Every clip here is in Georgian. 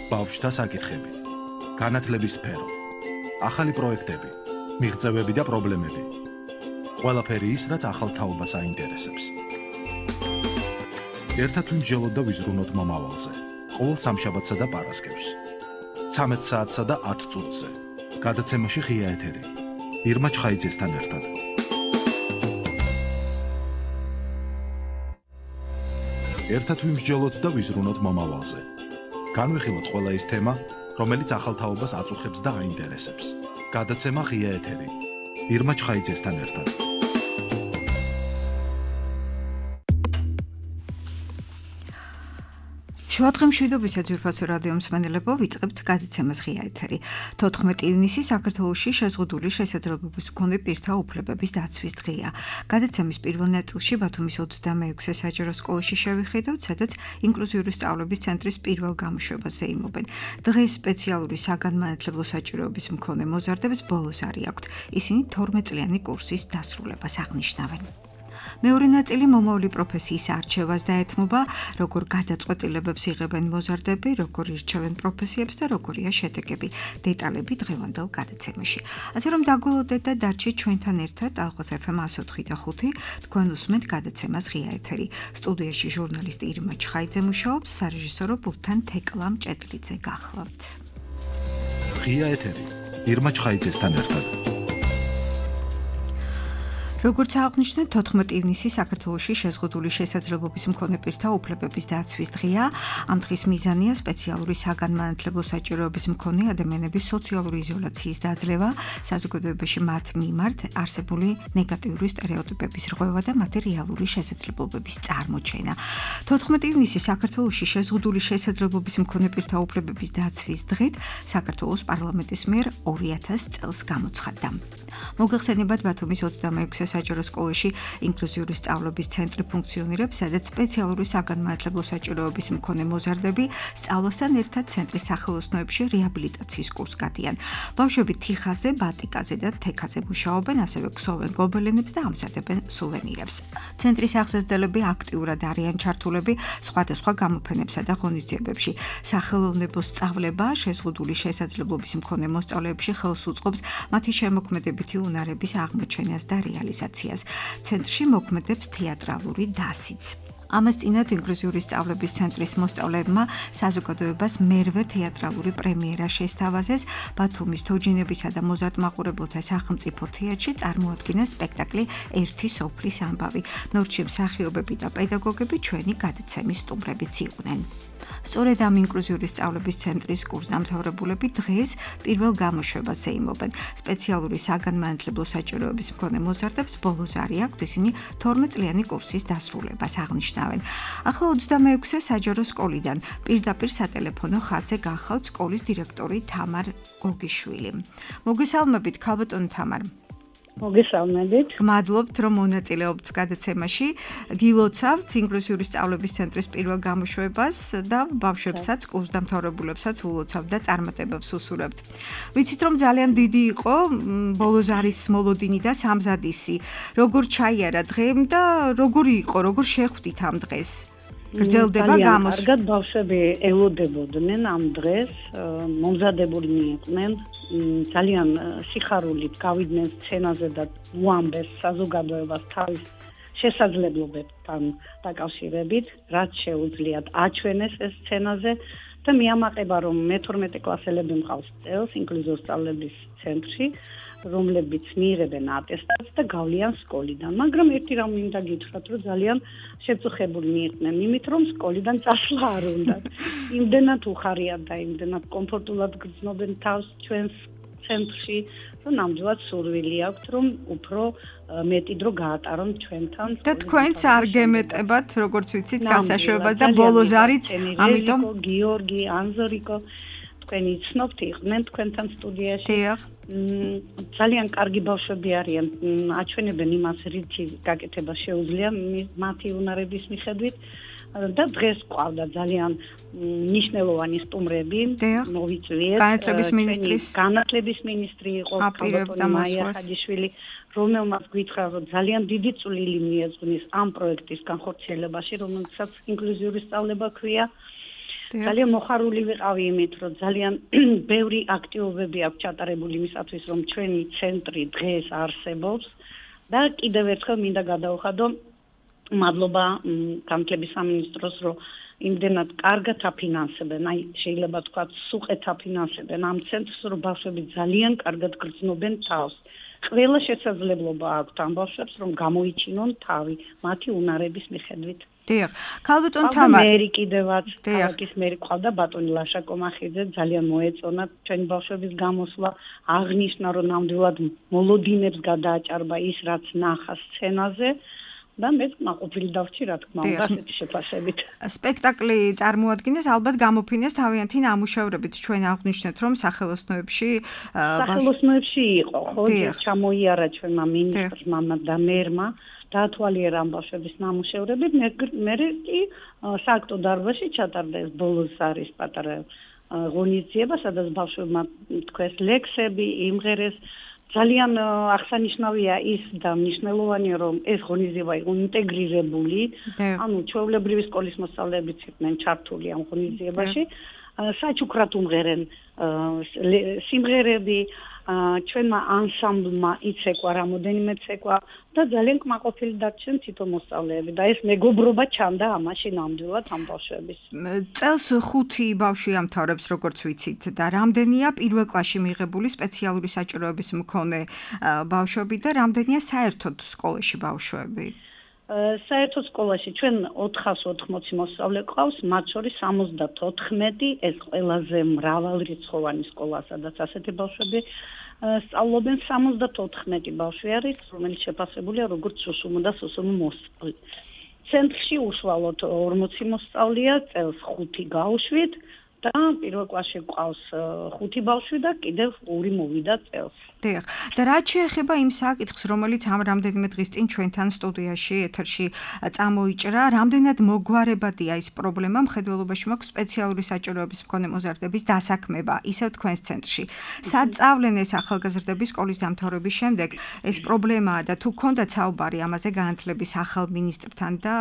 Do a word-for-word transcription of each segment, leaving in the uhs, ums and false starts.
ბავშვთა საკითხები, განათლების სფერო, ახალი პროექტები, მიღწევები და პრობლემები. ყველაფერი ის, რაც ახალ თაობას აინტერესებს. ერთად ვიმსჯელოთ და ვიზრუნოთ მომავალზე. ყოველ სამშაბათსა და პარასკევს. ცამეტ საათსა და ათ წუთზე. გადაცემაში ღია ეთერი. ირმა ჩხაიძესთან ერთად. ერთად ვიმსჯელოთ და ვიზრუნოთ მომავალზე. განვიხილოთ ყველა ის თემა, რომელიც ახალ თაობას აწუხებს და აინტერესებს. გადაცემა ღია ეთერი. ირმა ჩხაიძესთან ერთად. შუადღე მშვიდობისა ძვირფასო რადიო მსმენელებო, ვიწყებთ გადაცემას ღია ეთერი. თოთხმეტი ივნისი საქართველოში შეზღუდული შესაძლებლობის მქონე პირთა უფლებების დაცვის დღეა. გადაცემის პირველ ნაწილში ბათუმის ოცდამეექვსე საჯარო სკოლაში შევხედავთ, სადაც ინკლუზიური სწავლების ცენტრის პირველ გამოშვებას ზეიმობენ. დღეს სპეციალური საგანმანათლებლო საჭიროების მქონე მოზარდებს ბოლო ზარი აქვთ. ისინი თორმეტ წლიანი კურსის დასრულებას აღნიშნავენ. მეორე ნაწილი მომავალი პროფესიის არჩევას დაეთმობა, როგორ გადაწყვეტილებებს იღებენ მოზარდები, როგორ ირჩევენ პროფესიებს და როგორია შედეგები. დეტალები დღევანდელ გადაცემაში. ასე რომ დაგულოდეთ და დარჩით ჩვენთან ერთად ალღოს ეფ ემ ათას ოთხი და ხუთი, თქვენ უსმენთ გადაცემას ღია ეთერი. სტუდიაში ჟურნალისტი ირმა ჩხაიძე მუშაობს, სარეჟისორო პულტთან თეკლა მჭედლიძე გახლავთ. ღია ეთერი. ირმა ჩხაიძესთან ერთად. როგორც აღნიშნეთ, თოთხმეტი ივნისი საქართველოში შეზღუდული შესაძლებლობის მქონე პირთა უფლებების დაცვის დღეა. ამ დღის მიზანია სპეციალური საგანმანათლებლო საჭიროების მქონე ადამიანების სოციალური იზოლაციის დაძლევა, საზოგადოებაში მათ მიმართ არსებული ნეგატიური სტერეოტიპების რღვევა და მათი რეალური შესაძლებლობების წარმოჩენა. თოთხმეტი ივნისი საქართველოში შეზღუდული შესაძლებლობის მქონე პირთა უფლებების დაცვის დღედ საქართველოს პარლამენტის მიერ ორი ათასი წელს გამოცხადდა. მოგეხსენებათ, ბათუმის ოცდამეექვსე საჯარო სკოლაში ინკლუზიური სწავლების ცენტრი ფუნქციონირებს, სადაც სპეციალური საგანმანათლებლო საჭიროების მქონე მოზარდები სწავლასთან ერთად ცენტრის სახელოსნოებში რეაბილიტაციის კურსს გადიან. ბავშვები თიხაზე, ბატიკაზე და თექაზე მუშაობენ, ასევე ქსოვენ გობელენებს და ამზადებენ სუვენირებს. ცენტრის აღზრდელები აქტიურად არიან ჩართულები სხვადასხვა გამოფენებსა და ღონისძიებებში. სახელოვნებო სწავლება შეზღუდული შესაძლებლობის მქონე მოსწავლეებში ხელს უწყობს მათი შემოქმედებითი უნარების აღმოჩენას და რეალიზაციას. ცენტრში მოქმედებს თეატრალური დასიც. ამას წინათ ინკლუზიური სწავლების ცენტრის მოსწავლეებმა საზოგადოებას მერვე თეატრალური პრემიერა შესთავაზეს. ბათუმის თოჯინებისა და მოზარდმაყურებელთა სახელმწიფო თეატრში წარმოადგინა სპექტაკლი ერთი სოფლის ამბავი. ნორჩი მსახიობები და პედაგოგები ჩვენი გადაცემის სტუმრებიც იყვნენ. სწორედ ამ ინკლუზიური სწავლების ცენტრის კურსდამთავრებულები დღეს პირველ გამოშვებას ზეიმობენ. სპეციალური საგანმანათლებლო საჭიროების მქონე მოზარდებს ბოლო ზარი აქვთ, ისინი თორმეტ წლიანი კურსის დასრულებას აღნიშნავენ. ახლა ოცდამეექვსე საჯარო სკოლიდან პირდაპირ სატელეფონო ხაზზე გახავთ სკოლის დირექტორი თამარ გოგიშვილი. მოგესალმებით, ქალბატონო თამარ. მოგესალმებით. გმადლობთ, რომ მონაწილეობთ გადაცემაში. გილოცავთ ინკლუზიური სწავლების ცენტრის პირველ გამოშვებას და ბავშვებსაც, კურსდამთავრებულებსაც ულოცავთ და წარმატებებს უსურვებთ. ვიცით, რომ ძალიან დიდი იყო ბოლო ზარის მოლოდინი და სამზადისი. როგორ ჩაიარა დღე და როგორი იყო, როგორ შეხვდით ამ დღეს? გრძელდება გამოს. კარგად ბავშვები ელოდებოდნენ ამ დღეს, მომზადებულნი იყვნენ, ძალიან სიხარულით გავიდნენ სცენაზე და უამბეს საზოგადოებას თავის შესაძლებლობებთან დაკავშირებით, რაც შეუძლიათ აჩვენეს ეს სცენაზე და მიამაყება, რომ მეთორმეტე კლასელები მყავს წელს ინკლუზიური სწავლების ცენტრში, რომლებიც მიიღებენ ატესტატს და გავლიან სკოლიდან. მაგრამ ერთი რამ მინდა გითხრათ, რომ ძალიან შეწუხებულნი იყვნენ იმით, რომ სკოლიდან წასვლა არ უნდათ. იმდენად უხარიათ და იმდენად კომფორტულად გრძნობენ თავს ჩვენს ცენტრში, რომ ნამდვილად სურვილი აქვთ, რომ უფრო მეტი დრო გაატარონ ჩვენთან. და თქვენც არ გემეტებათ, როგორც ვიცით, გასაშვებად და ბოლო ზარიც, ამიტომ გიორგი, ანზორიკო თქვენი ცნობთ იყვნენ თქვენთან სტუდიაში. დიახ. ძალიან კარგი ბავშვები არიან, აჩვენებენ იმას, რითი გაკეთება შეუძლია მათი უნარების მიხედვით და დღეს ყავდა ძალიან ნიშნულოვანი სტუმრები, მოვიწვიეთ. განათლების მინისტრის განათლების მინისტრი იყო მაია ხაჯიშვილი, რომელმაც გითხრა, რომ ძალიან დიდი წვლილი მიეძღვნის ამ პროექტის განხორციელებაში, რომელსაც ინკლუზიური სწავლება ქვია. ძალიან მოხარული ვიყავი იმით, რომ ძალიან ბევრი აქტივობები აქვს ჩატარებული იმისათვის, რომ ჩვენი ცენტრი დღეს არსებობს და კიდევ ერთხელ მინდა გადავხადო მადლობა განათლების სამინისტროს, რომ იმდენად კარგად აფინანსებენ, აი შეიძლება თქვა სუყეთ აფინანსებენ ამ ცენტრს, რომ ბავშვები ძალიან კარგად გრძნობენ თავს. ყველა შესაძლებლობა აქვთ ამ ბავშვებს, რომ გამოიჩინონ თავი მათი უნარების მიხედვით. დიახ, ქალბატონ თამარ. მერი კიდევაც, ქალაქის მერი ყავდა ბატონი ლაშა კომახიძე, ძალიან მოეწონა ჩვენი ბავშვების გამოსვლა, აღნიშნა, რომ ნამდვილად მოლოდინებს გადააჭარბა ის, რაც ნახა სცენაზე. და მეც მაყოფილი დავჭი რა თქმა უნდა ასეთი შეფასებით. სპექტაკლი წარმოადგენს ალბათ გამოფინეს თავიანთი ნამუშევრებით. ჩვენ აღვნიშნეთ რომ სახელოსნოებში სახელოსნოებში იყო, ხო, ჩამოიარა ჩვენმა მინისტრმა და მერმა დაათვალიერა ამ ბავშვების ნამუშევრები. მე კი სააქტო დარბაზში ჩატარდა ეს ბოლოს არის პატარა ღონისძიება, სადაც ბავშვებმა თქვეს ლექსები, იმღერეს. ძალიან აღსანიშნავია ის და მნიშვნელოვანია, რომ ეს ღონისძიება იყო ინტეგრირებული, ანუ ჩვეულებრივი სკოლის მოსწავლეებიც იყვნენ ჩართული ამ ღონისძიებაში. საჩუქრად უმღერენ სიმღერები, ჩვენმა ანსამბლმა იცეკვა რამოდენიმე ცეკვა და ძალიან კმაყოფილი დარჩნენ თითო მოსწავლეები და ეს მეგობრობა ჩანდა ამაში ნამდვილად ამ ბავშვების. წელს ხუთი ბავშვი ამთავრებს როგორც ვიცით და რამდენია პირველ კლასში მიღებული სპეციალური საჭიროების მქონე ბავშვები და რამდენია საერთოდ სკოლაში ბავშვები? საერთოდ სკოლაში ჩვენ ოთხას ოთხმოცი მოსწავლე ყავს, მათ შორის სამოცდათოთხმეტი, ეს ყველაზე მრავალრიცხოვანი სკოლა, სადაც ასეთი ბავშვები სწავლობენ. სამოცდათოთხმეტი ბავშვი არის, რომელიც შეფასებულია როგორც სუსუმო და სუსუმო მოსწავლე. ცენტრში უშუალოდ ორმოცი მოსწავლეა, წელს ხუთი გავუშვით და პირველ კლასში ყავს ხუთი ბავშვი და კიდევ ორი მოვიდა წელს. დიახ. და რაც შეეხება იმ საკითხს, რომელიც ამ რამდენიმე დღის წინ ჩვენთან სტუდიაში ეთერში წამოიჭრა, რამდენად მოგვარებადია ის პრობლემა, მხედველობაში მაქვს სპეციალური საჭიროების მქონე მოზარდების დასაქმება, ისევ თქვენს ცენტრში. სად წავლენ ეს ახალგაზრდები სკოლის დამთავრების შემდეგ? ეს პრობლემაა და თუ გქონდათ საუბარი ამაზე განათლების ახალ მინისტრთან და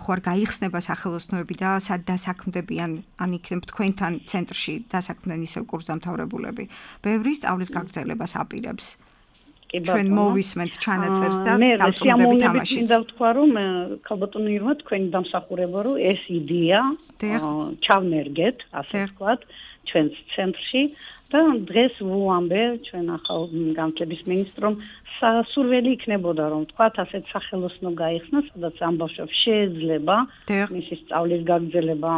ხო არ გაიხსნება სახელოსნოები და სად დასაქმდებიან, ან იქნებ თქვენთან ცენტრში დასაქმდნენ ისევ კურსდამთავრებულები. ბევრი სწავლის გაგრძელებას აპირებს. ჩვენ მოვისმენთ ჩანაწერს და დავწუნდებით ამაში. მინდა ვთქვა, რომ ქალბატონო ირმა თქვენი დამსახურება, რომ ეს იდეა ჩავნერგეთ, ასე ვთქვათ, ჩვენს ცენტრში და დღეს ვუამბე ჩვენ ახალ განათლების მინისტრომ სასურველი იქნებოდა, რომ ვთქვათ, ასეთ სახელოსნო გაიხსნა, სადაც ამ ბავშვებს შეეძლება მისი სწავლის გაგრძელება,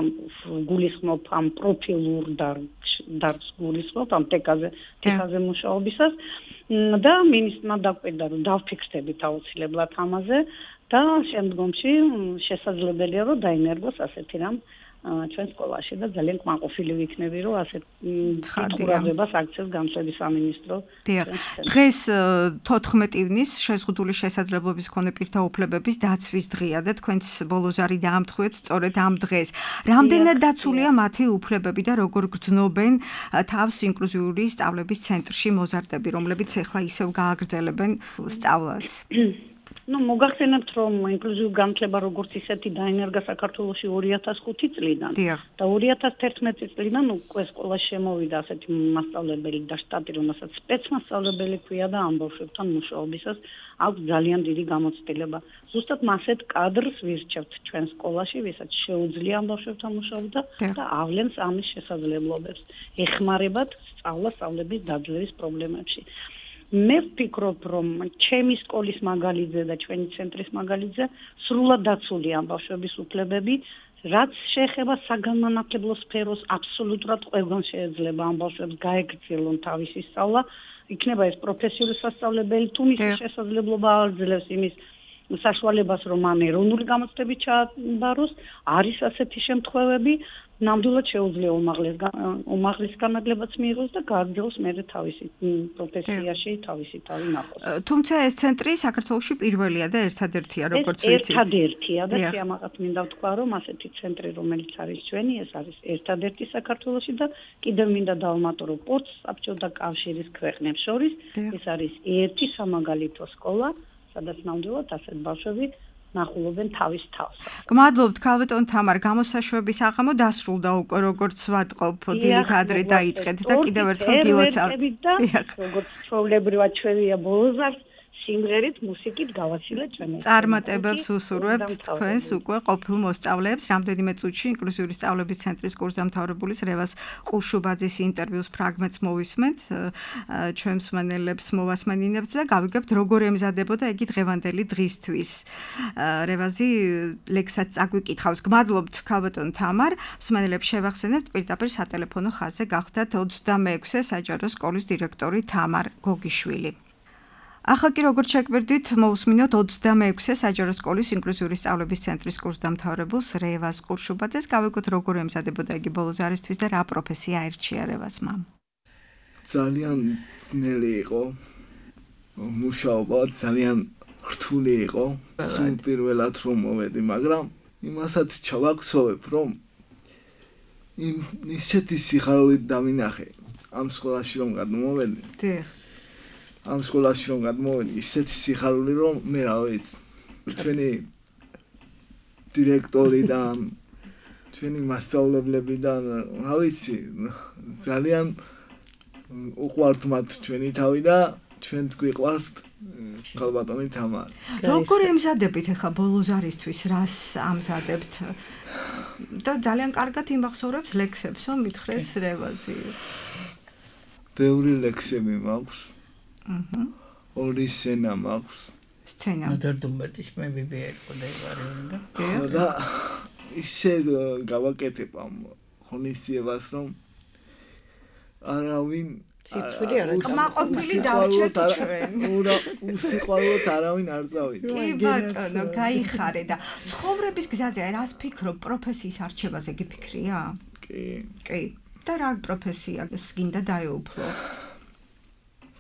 გულისხმობ ამ პროფილურ დარგს გულისხმობ ამ ტეკაზე, ტეკაზე მუშაობისას და მინისტრმა დაკვირდა, რომ დავფიქსდებით აუცილებლად ამაზე და შემდგომში შესაძლებელია, რომ დაინერგოს ასეთი რამ ჩვენ სკოლაში და ძალიან კმაყოფილი ვიქნები, რომ ასეთ ყურადღებას აქცევს განათლების სამინისტრო. დიახ. დღეს თოთხმეტი ივნის შეზღუდული შესაძლებლობის მქონე პირთა უფლებების დაცვის დღეა და თქვენს ბოლოზარი დაამთხვეთ სწორედ ამ დღეს. რამდენად დაცულია მათი უფლებები და როგორ გრძნობენ თავს ინკლუზიური სწავლების ცენტრში მოზარდები, რომლებიც ახლა ისევ გააგრძელებენ სწავლას? ну მოგახსენებთ რომ ინკლუზიური განათლება როგორც ისეთი დაინერგა საქართველოში ორი ათას ხუთი წლიდან და ორი ათას თერთმეტი წლიდან უკვე სკოლაში შემოვიდა ასეთი მასწავლებელი და შტატი რომელსაც სპეცმასწავლებელი ქვია და ამ ბავშვებთან მუშაობისას აქვს ძალიან დიდი გამოცდილება ზუსტად მასეთ კადრს ვირჩევთ ჩვენ სკოლაში ვისაც შეუძლია ამ ბავშვებთან მუშაობა და ავლენს ამის შესაძლებლობებს ეხმარებათ სწავლა-სწავლების დაძლევის პრობლემებში მე ვფიქრობ, რომ ჩემი სკოლის მაგალითზე და ჩვენი ცენტრის მაგალითზე სრულად დაცულია ამ ბავშვების უფლებები, რაც შეეხება საგანმანათლებლო სფეროს აბსოლუტურად ყველგან შეიძლება ამ ბავშვებს გაეგრძელონ თავისი სწავლა, იქნება ეს პროფესიული სასწავლებელი, თუ მის შესაძლებლობა აძლევს იმის საშუალებას, რომ ამ ეროვნული გამოცდებით ჩააბაროს, არის ასეთი შემთხვევები, ნამდვილად შეუძლია უმაღლეს განათლებაც მიიღოს და გააგრძელოს მერე თავისი პროფესიაში თავისი თავი ნახოს. თუმცა ეს ცენტრი საქართველოში პირველია და ერთადერთია, როგორც ვიცით. ერთადერთია და სიამაყად მინდა ვთქვა, რომ ასეთი ცენტრი, რომელიც არის ჩვენი, ეს არის ერთადერთი საქართველოში და კიდევ მინდა დავამატო, რომ პორტს საბჭოთა კავშირის ქვეყნებს შორის ეს არის ერთი სამაგალითო სკოლა, სადაც ნამდვილად ასეთ ბავშვები ნახულობენ თავის თავს. გმადლობთ ქალბატონ თამარ, გამოსაშვების აღამო დასრულდა უკვე როგორც ვატყობ დილით ადრე დაიწყეთ და კიდევ ერთხელ გილოცავთ. როგორც ჩვეულებრივად ჩვენია ბოლოზარ სიმღერით, მუსიკით გავაცილეთ ჩვენს. წარმატებებს უსურვებთ თქვენს უკვე ყოფილ მოსწავლეებს. რამდენიმე წუთში ინკლუზიური სწავლების ცენტრის კურსდამთავრებულის რევაზ ყუშუბაძის ინტერვიუს ფრაგმენტს მოვისმენთ, ჩვენ მსმენელებს მოვასმენინებთ და გავიგებთ როგორ ემზადებოდა იგი დღევანდელი დღისთვის. რევაზი ლექსად წაგვიკითხავს. გმადლობთ ქალბატონ თამარ, მსმენელებს შევახსენებთ პირდაპირ სატელეფონო ხაზზე გახდათ ოცდამეექვსე საჯარო სკოლის დირექტორი თამარ გოგიშვილი. ახლა კი როგორც შეგვერდით, მოусმინოთ ოცდამეექვსე საჯარო სკოლის ინკლუზიური სწავლების ცენტრის კურსდამთავრებულს რევაზ ყუშუბაძეს. გავიგოთ როგორ ემზადებოდა იგი ბოლო ზარისთვის და რა პროფესია აირჩია რევაზმა. ძალიან ძნელი იყო. მუშაობა ძალიან რთული იყო. სულ პირველად რომ მოვედი, მაგრამ იმასაც ჩავაქსოვებ, რომ იმ ისეთი სიხარულით დავინახე ამ სკოლაში რომ გადმოვედი. დიახ. ამ სკოლაში რომ გადმოვედი, ისეთი სიხარული რომ მე რა ვიცი. ჩვენი დირექტორიდან, ჩვენი მასწავლებლებიდან, რა ვიცი, ძალიან უყვართ მათ ჩვენი თავი და ჩვენც გვიყვართ ქალბატონი თამარი. როგორ ემზადებით ახლა ბოლო ზარისთვის, რას ამზადებთ? და ძალიან კარგად იმახსოვრებს ლექსებს, რომ მითხრეს რევაზი. ბევრი ლექსები მაქვს. აჰა. ორი სცენა მაქვს. სცენა. მოდერდუმბეთის მე ბიბიერი ვარიუნდა. და ისე გავაკეთებ ამ ღონისძიებას, რომ არავინ სიცხვილი არ აქვს. მაყოფილი დავჭერთ ჩვენ. უра, უსიყვარულოდ არავინ არ წავიდა. კი ბატონო, გაიხარე და ცხოვრების გზაზე რას ფიქრობ, პროფესიის არჩევაზე გიფიქრია? კი. კი. და რა პროფესია გინდა დაეუფლო?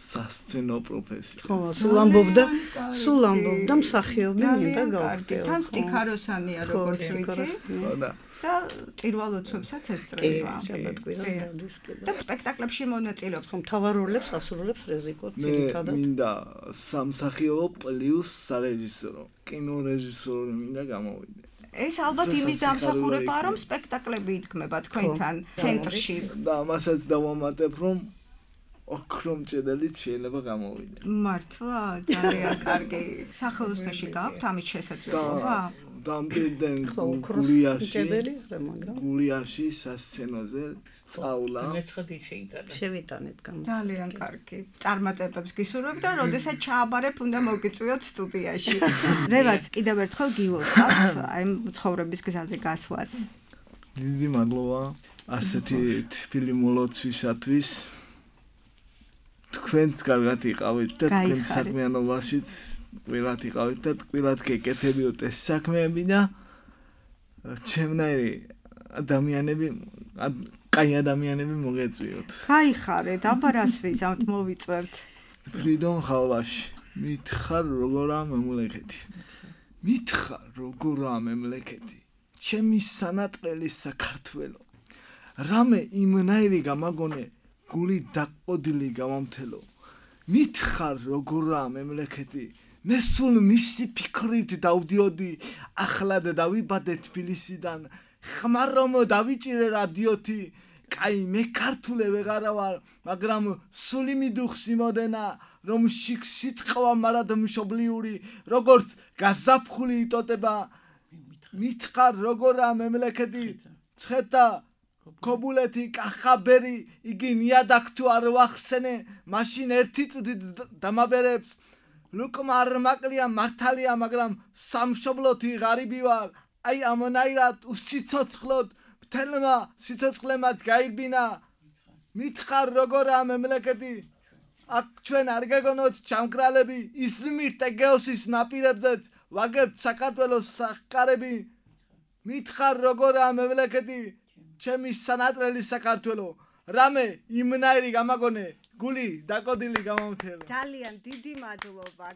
სასცენო პროფესია. ხო, სულ ამბობდა, სულ ამბობდა მსახიობი მინდა გავხდეო. თან სტიქაროსანია როგორც ვიცი. ხო და და პირველ ოცვებსაც ესწრება. კი, შაბათ-კვირას დადის კიდე. და სპექტაკლებში მონაწილეობს. ხო, მთავარ როლებს ასრულებს რეზიკო მე ძირითადად. მინდა სამსახიობო პლუს სარეჟისორო. კინორეჟისორი მინდა გამოვიდე. ეს ალბათ იმის დამსახურებაა, რომ სპექტაკლები იდგმება თქვენთან ცენტრში. და ამასაც დავამატებ, რომ ოქრომჭედელიც შეიძლება გამოვიდე. მართლა ძალიან კარგი. სახელოსნოში გაქვთ ამის შესაძლებლობა? დამბირდნენ გულიაში, გულიაში სასცენოზე სწავლა. მეცხადი შეიტანა. შევიტანეთ გამო. ძალიან კარგი. წარმატებებს გისურვებ და როდესაც ჩააბარებ, უნდა მოგიწვიოთ სტუდიაში. რევაზ, კიდევ ერთხელ გილოცავთ აი ცხოვრების გზაზე გასვლას. დიდი მადლობა ასეთი თბილი მოლოცვისათვის. თქვენც კარგად იყავით და თქვენ საქმიანობაშიც ყველად იყავით და ყველად გეკეთებიოთ ეს საქმეები და ჩემნაირი ადამიანები, კაი ადამიანები მოგეწვიოთ. გაიხარეთ, აბა რას ვიზამთ, მოვიწვევთ. ფრიდონ ხალვაში, მითხარ როგორა მემლექეთი. მითხარ როგორა მემლექეთი. ჩემი სანატრელი საქართველო. რამე იმნაირი გამაგონე გული დაყოდილი გამამთელო. მითხარ როგორა მემლექეთი. მე სულ მისი ფიქრით დავდიოდი, ახლად დავიბადე თბილისიდან, ხმარ რომ დავიჭირე რადიოთი. კაი მე ქართულე ვეღარა ვარ, მაგრამ სული მიდუხს იმოდენა, რომ შიქ სიტყვა მარად მშობლიური, როგორც გაზაფხული იტოტება. მითხარ როგორა მემლექეთი. ცხეთა ქობულეთი კახაბერი, იგი ნიადაგ თუ არ ვახსენე, მაშინ ერთი წუთით დამაბერებს. ლუკმა არ მაკლია მართალია, მაგრამ სამშობლოთი ღარიბი ვარ. აი ამნაირად უსიცოცხლოდ მთელმა სიცოცხლემაც გაირბინა. მითხარ როგორა მემლექეთი. აქ ჩვენ არ გეგონოთ ჩამკრალები, იზმირ ტეგეოსის ნაპირებზეც ვაგებთ საქართველოს სახკარები. მითხარ როგორა მემლექეთი. ჩემი სანატრელი საქართველო. რამე იმნაირი გამაგონე, გული დაკოდილი გამომთელო. ძალიან დიდი მადლობა.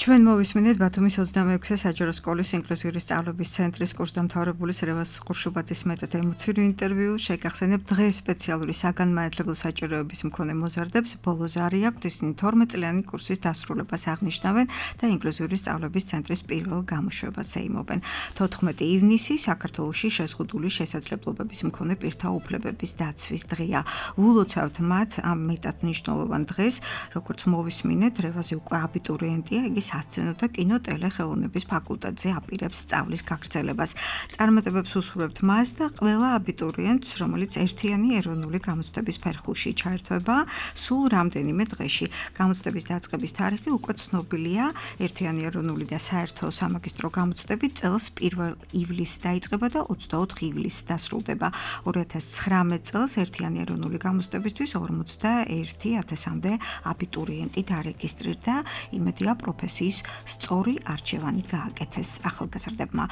ჩვენ მოვისმინეთ ბათუმის ოცდამეექვსე საჯარო სკოლის ინკლუზიური სწავლების ცენტრის კურსდამთავრებულის რევაზ ყურშუბაძის მეტად ემოციური ინტერვიუ. შეგახსენებთ დღეს სპეციალური საგანმანათლებლო საჭიროების მქონე მოზარდებს ბოლო ზარი აქვთ, ისინი თორმეტ-წლიანი კურსის დასრულებას აღნიშნავენ და ინკლუზიური სწავლების ცენტრის პირველ გამოშვებას ეიმობენ. თოთხმეტი ივნისი საქართველოში შეზღუდული შესაძლებლობების მქონე პირთა უფლებების დაცვის დღეა. ვილოცავთ მათ ამ მეტად მნიშვნელოვან დღეს, როგორც მოვისმინეთ, რევაზი უკვე აბიტურიენტია, იგი სასცენო და კინო ტელეხელოვნების ფაკულტეტზე აპირებს სწავლის გაგრძელებას. წარმატებებს უსურვებთ მას და ყველა აბიტურიენტს, რომელიც ერთიანი ეროვნული გამოცდების ფერხულში ჩაერთვება, სულ რამდენიმე დღეში. გამოცდების დაწყების თარიღი უკვე ცნობილია. ერთიანი ეროვნული და საერთო სამაგისტრო გამოცდები წელს პირველ ივლისს დაიწყება და ოცდაოთხ ივლისს დასრულდება. ორი ათას ცხრამეტ წელს ერთიანი ეროვნული გამოცდებისთვის ორმოცდაერთი ათასამდე აბიტურიენტი დარეგისტრირდა. იმედია პროფესიის სწორი არჩევანი გააკეთეს ახალგაზრდებმა.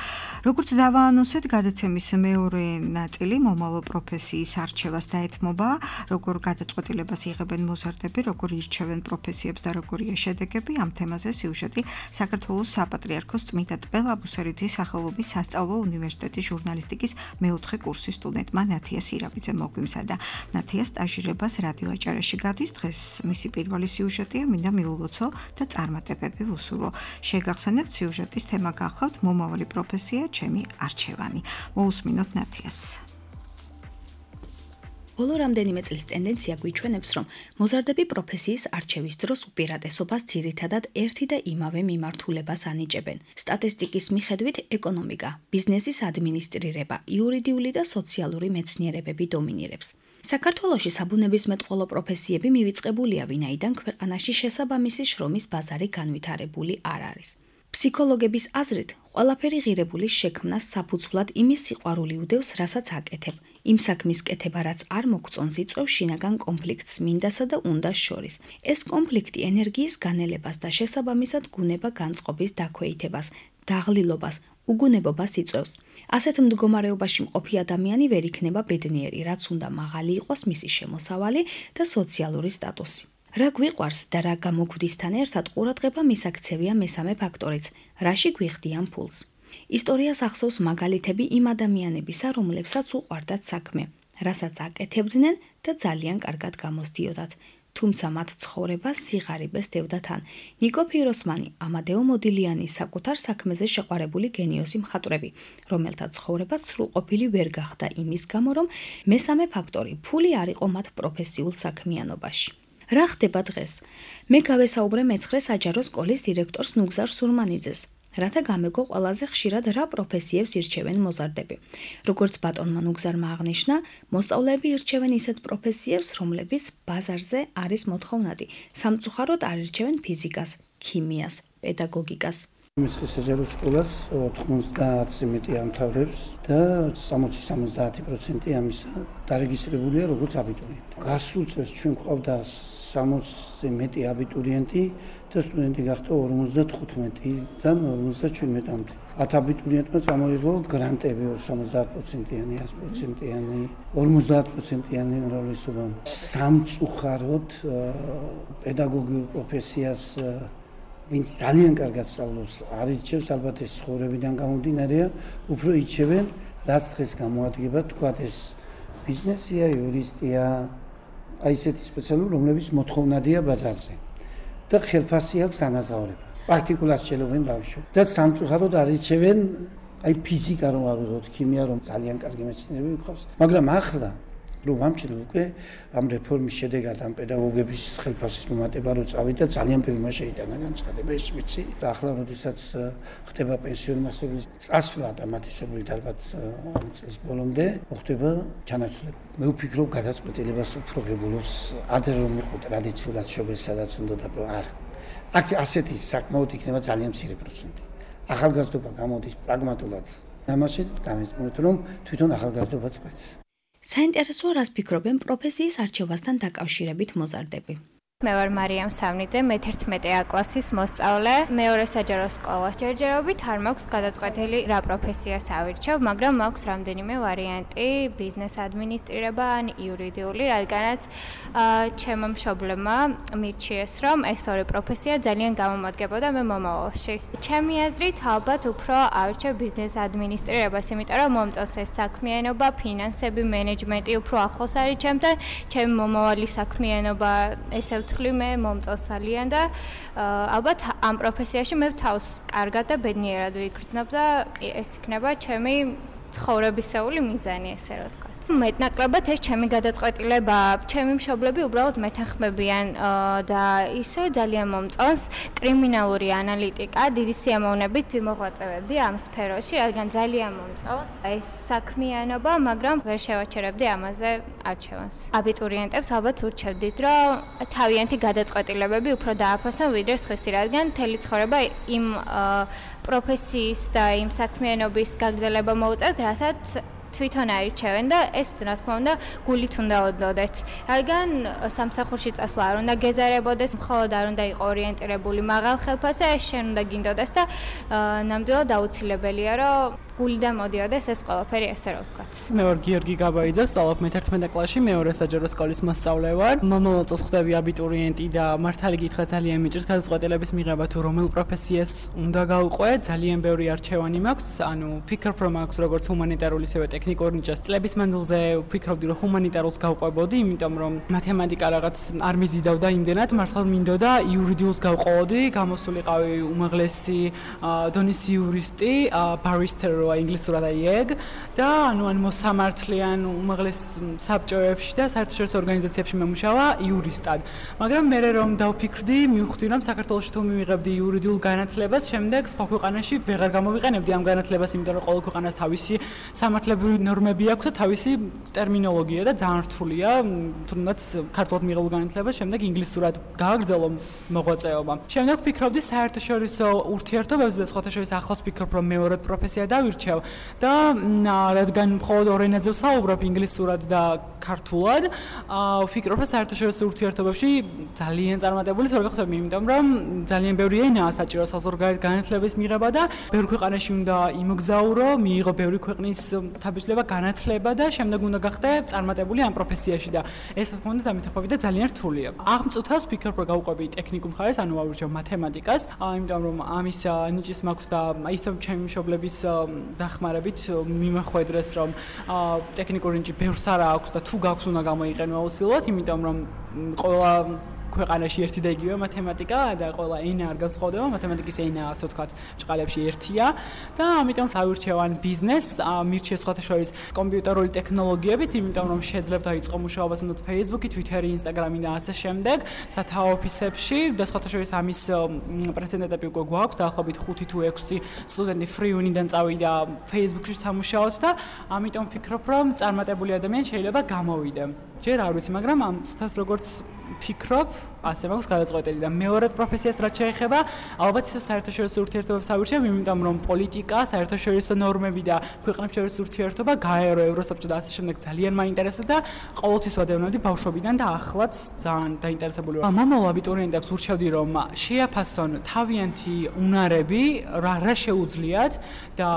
როგორც დავაანონსეთ, გადაცემის მეორე ნაწილი მომავალ პროფესიის არჩევას დაეთმობა, როგორ გადაწყვეტილებას იღებენ მოზარდები, როგორ ირჩევენ პროფესიებს და როგორია შედეგები. ამ თემაზე სიუჟეტი საქართველოს საპატრიარქოს წმიდა ტბელ აბუსერიძის სახელობის სასწავლო უნივერსიტეტის ჟურნალისტიკის მეოთხე კურსის სტუდენტმა ნათია სირაბიძემ მოგვიმზადა. ნათია სტაჟირებას რადიო აჭარაში გადის. დღეს მისი პირველი სიუჟეტია, მინდა მიულოცო და წარმატებები ვუსურვო. შეგახსენებთ, სიუჟეტის თემა გახლავთ მომავალი პროფესია, ჩემი არჩევანი. მოусმინოთ ნათიას. ბოლო რამდენიმე წლის ტენდენცია გვიჩვენებს, რომ მოზარდები პროფესიის არჩევის დროს უპირატესობას ძირითადად ერთი და იმავე მიმართულებას ანიჭებენ. სტატისტიკის მიხედვით ეკონომიკა, ბიზნესის ადმინისტრირება, იურიდიული და სოციალური მეცნიერებები დომინირებს. საქართველოში საბუნებისმეტყველო პროფესიები მივიწყებულია, ვინაიდან ქვეყანაში შესაბამისი შრომის ბაზარი განვითარებული არ არის. ფსიქოლოგების აზრით, ყველაფერი ღირებულის შექმნას საფუძვლად იმის სიყვარული უდევს, რასაც აკეთებ. იმ საქმის კეთება, რაც არ მოგწონს, იწვევს შინაგან კონფლიქტს მინდასა და უნდას შორის. ეს კონფლიქტი ენერგიის განელებას და შესაბამისად გუნება განწყობის დაქვეითებას, დაღლილობას, უგუნებობას იწვევს. ასეთ მდგომარეობაში მყოფი ადამიანი ვერ იქნება ბედნიერი, რაც უნდა მაღალი იყოს მისი შემოსავალი და სოციალური სტატუსი. რა გვიყვარს და რა გამოგვდისთან ერთად ყურადღება მისაქცევია მესამე ფაქტორიც, რაში გვიხდიან ფულს. ისტორიას ახსოვს მაგალითები იმ ადამიანებისა, რომლებსაც უყვარდათ საქმე, რასაც აკეთებდნენ და ძალიან კარგად გამოსდიოდათ. თუმცა მათ ცხოვრებას სიღარიბეს დევდა თან. ნიკო ფიროსმანი, ამადეო მოდილიანის საკუთარ საქმეზე შეყვარებული გენიოსი მხატვრები, რომელთა ცხოვრებაც სრულყოფილი ვერ გახდა იმის გამო, რომ მესამე ფაქტორი ფული არ იყო მათ პროფესიულ საქმიანობაში. რა ხდება დღეს? მე გავესაუბრე მეცხრე საჯარო სკოლის დირექტორს ნუგზარ სურმანიძეს, რათა გამეგო ყველაზე ხშირად რა პროფესიებს ირჩევენ მოზარდები. როგორც ბატონმა ნუგზარმა აღნიშნა, მოსწავლეები ირჩევენ ისეთ პროფესიებს, რომლებიც ბაზარზე არის მოთხოვნადი. სამწუხაროდ არ ირჩევენ ფიზიკას, ქიმიას, პედაგოგიკას. მეცხრე საჯარო სკოლას ოთხმოცდაათზე მეტი ამთავრებს და სამოცი სამოცდაათი პროცენტი ამისა დარეგისტრირებულია როგორც აბიტურიენტი. გასულ წელს ჩვენ გვყავდა სამოცზე მეტი აბიტურიენტი და სტუდენტი გახდა ორმოცდათხუთმეტიდან ორმოცდაჩვიდმეტამდე. ათ აბიტურიენტმა წამოიღო გრანტები სამოცდაათ პროცენტიანი, ას პროცენტიანი, ორმოცდაათ პროცენტიანი უმრავლესობა. სამწუხაროდ პედაგოგიურ პროფესიას ვინც ძალიან კარგად სწავლობს, არ ირჩევს, ალბათ ეს ცხოვრებიდან გამომდინარეა, უფრო ირჩევენ, რაც დღეს გამოადგება, თქვათ ეს ბიზნესია, იურისტია, აი ესეთი სპეციალური, რომლებიც მოთხოვნადია ბაზარზე. და ხელფასი აქვს ანაზღაურება. პრაქტიკულად შეელოვენ ბავშვებს. და სამწუხაროდ არ ირჩევენ, აი ფიზიკა რომ ავიღოთ, ქიმია რომ ძალიან კარგი მეცნიერები გვყავს, მაგრამ ახლა რომ ამჩნევ უკვე ამ რეფორმის შედეგად ამ პედაგოგების ხელფასის მომატება რო წავიდა, ძალიან ბევრმა შეიტანა განცხადება, ეს ვიცი. და ახლა როდესაც ხდება პენსიონი მასების წასვლა და მათი სრულად ალბათ ამ წლის ბოლომდე მოხდება ჩანაცვლება. მე ვფიქრობ, გადაწყვეტილებას უფრო ღებულობს ადრე რომ იყო ტრადიციულად შობეს, სადაც უნდა და არა. აქ ასეთი საკმაოდ იქნება ძალიან მცირე პროცენტი. ახალგაზრდობა გამოდის პრაგმატულად. ამაში გამეცნოთ, რომ თვითონ ახალგაზრდობა წყვეტს. საინტერესოა, რას ფიქრობენ პროფესიის არჩევასთან დაკავშირებით მოზარდები. მე ვარ მარიამ სამნიძე, მეთერთმეტე A კლასის მოსწავლე. მეორე საჯარო სკოლა. ჯერჯერობით არ მაქვს გადაწყვეტილი რა პროფესიას ავირჩევ, მაგრამ მაქვს რამდენიმე ვარიანტი, ბიზნეს ადმინისტრირება ან იურიდიული, რადგანაც ჩემო მშობლებმა მირჩიეს, რომ ეს ორი პროფესია ძალიან გამომადგებოდა მე მომავალში. ჩემი აზრით, ალბათ უფრო ავირჩევ ბიზნეს ადმინისტრირებას, იმიტომ რომ მომწონს ეს საქმიანობა, ფინანსები, მენეჯმენტი უფრო ახლოს არის ჩემთან, ჩემი მომავალი საქმიანობა ესე ვთვლი მე მომწონს ძალიან და ალბათ ამ პროფესიაში მე თავს კარგად და ბედნიერად ვიგრძნობ და ეს იქნება ჩემი ცხოვრებისეული მიზანი, ესე რა ვთქვა. მეტნაკლებად ეს ჩემი გადაწყვეტილება, ჩემი მშობლები უბრალოდ მეთანხმებიან და ისე ძალიან მომწონს კრიმინალური ანალიტიკა, დიდი სიამოვნებით ვიმოღვაწებდი ამ სფეროში, რადგან ძალიან მომწონს ეს საქმიანობა, მაგრამ ვერ შევაჩერებდი ამაზე არჩევანს. აბიტურიენტებს ალბათ ურჩევდით, რომ თავიანთი გადაწყვეტილებები უფრო დააფასონ ვიდრე სხვისი, რადგან მთელი ცხოვრება იმ პროფესიის და იმ საქმიანობის გაგრძელება მოუწევთ, რასაც თვითონ არჩევენ და ეს რა თქმა უნდა გულით უნდა ოდნოდეთ. რადგან სამსახურში წასვლა არ უნდა გეზარებოდეს, მხოლოდ არ უნდა იყო ორიენტირებული მაღალ ხელფასზე, ეს შენ უნდა გინდოდეს და ნამდვილად აუცილებელია, რომ გულიდან მოდიოდეს ეს ყველაფერი, ესე რა ვთქვათ. მე ვარ გიორგი გაბაიძე, ვსწავლობ მეთერთმეტე კლასში, მეორე საჯარო სკოლის მოსწავლე ვარ. მომავალ წელს ხდები აბიტურიენტი და მართალი გითხრა ძალიან მიჭირს გადაწყვეტილების მიღება თუ რომელ პროფესიას უნდა გავყვე, ძალიან ბევრი არჩევანი მაქვს, ანუ ვფიქრობ რომ აქვს როგორც ჰუმანიტარული, ისევე ტექნიკური ნიჭას. წლების მანძილზე ვფიქრობდი რომ ჰუმანიტარულს გავყვებოდი, იმიტომ რომ მათემატიკა რაღაც არ მიზიდავდა იმდენად, მართლა მინდოდა იურიდიულს გავყოლოდი, გამოსულიყავი უმაღლესი დონის იურისტი, ბარისტერ ინგლისურად აიგ და ანუ ან მოსამართლიან უმაღლეს საბჭოებში და საერთაშორისო ორგანიზაციებში მომუშავა იურისტად. მაგრამ მე რომ დავფიქრდი, მივხვდი რომ საქართველოში თუ მივიღებდი იურიდიულ განათლებას, შემდეგ სხვა ქვეყანაში ვეღარ გამოვიყენებდი ამ განათლებას, იმიტომ რომ ყოველ ქვეყანას თავისი სამართლებრივი ნორმები აქვს და თავისი ტერმინოლოგია და ძალიან რთულია, თუნდაც ქართულად მიღებულ განათლებას შემდეგ ინგლისურად გააგრძელო მოღვაწეობა. შემდეგ ვფიქრობდი საერთაშორისო ურთიერთობებზე და სხვათა შორის ახლოს ვფიქრობ რომ მეორედ პროფესია დავირჩევ და რადგან მხოლოდ ორ ენაზე ვსაუბრობ ინგლისურად და ქართულად, ვფიქრობ რომ საერთაშორისო ურთიერთობებში ძალიან წარმატებული ვარ გახდები, იმიტომ რომ ძალიან ბევრი ენაა საჭირო საზღვარგარეთ განათლების მიღება და ბევრ ქვეყანაში უნდა იმოგზაურო, მიიღო ბევრი ქვეყნის თაბიჯლება, განათლება და შემდეგ უნდა გახდე წარმატებული ამ პროფესიაში და ეს თქმა უნდა დამეთანხმებით და ძალიან რთულია. აღმწუთას ვფიქრობ რომ გავყვები ტექნიკურ მხარეს, ანუ ვავირჩევ მათემატიკას, იმიტომ რომ ამის ნიჭის მაქვს და ისევ ჩემი მშობლების დახმარებით მიმახვედრეს რომ ტექნიკური ნიჭი ბევრს არა აქვს და თუ გაქვს უნდა გამოიყენო აუცილებლად, იმიტომ რომ ყველა ქვეყანაში ერთი და იგივე მათემატიკა და ყველა ენა არ განსხვავდება, მათემატიკის ენა ასე ვთქვათ, ჭყალებში ერთია და ამიტომ დავირჩევან ბიზნესს, მირჩიეს სხვათა შორის კომპიუტერული ტექნოლოგიებიც, იმიტომ რომ შეიძლება დაიწყო მუშაობა თუნდაც Facebook-ი, Twitter-ი, Instagram-ი და ასე შემდეგ, სათავო ოფისებში და სხვათა შორის ამის პრეცედენტები უკვე გვაქვს, დაახლოებით ხუთი თუ ექვსი სტუდენტი ფრიუნიდან წავიდა Facebook-ში სამუშაოდ და ამიტომ ვფიქრობ, რომ წარმატებული ადამიანი შეიძლება გამოვიდე. ჯერ არ ვიცი, მაგრამ ამ წუთას როგორც ვფიქრობ, ასე მაქვს გადაწყვეტილი და მეორედ პროფესიას რაც შეეხება, ალბათ ისევ საერთაშორისო ურთიერთობებს ავირჩევ, იმიტომ რომ პოლიტიკა, საერთაშორისო ნორმები და ქვეყნებს შორის ურთიერთობა, გაერო ევროსაბჭო და ასე შემდეგ ძალიან მაინტერესებს და ყოველთვის ვადევნებდი ბავშვობიდან და ახლაც ძალიან დაინტერესებული ვარ. მომავალ აბიტურიენტებს ურჩევდი რომ შეაფასონ თავიანთი უნარები, რა რა შეუძლიათ და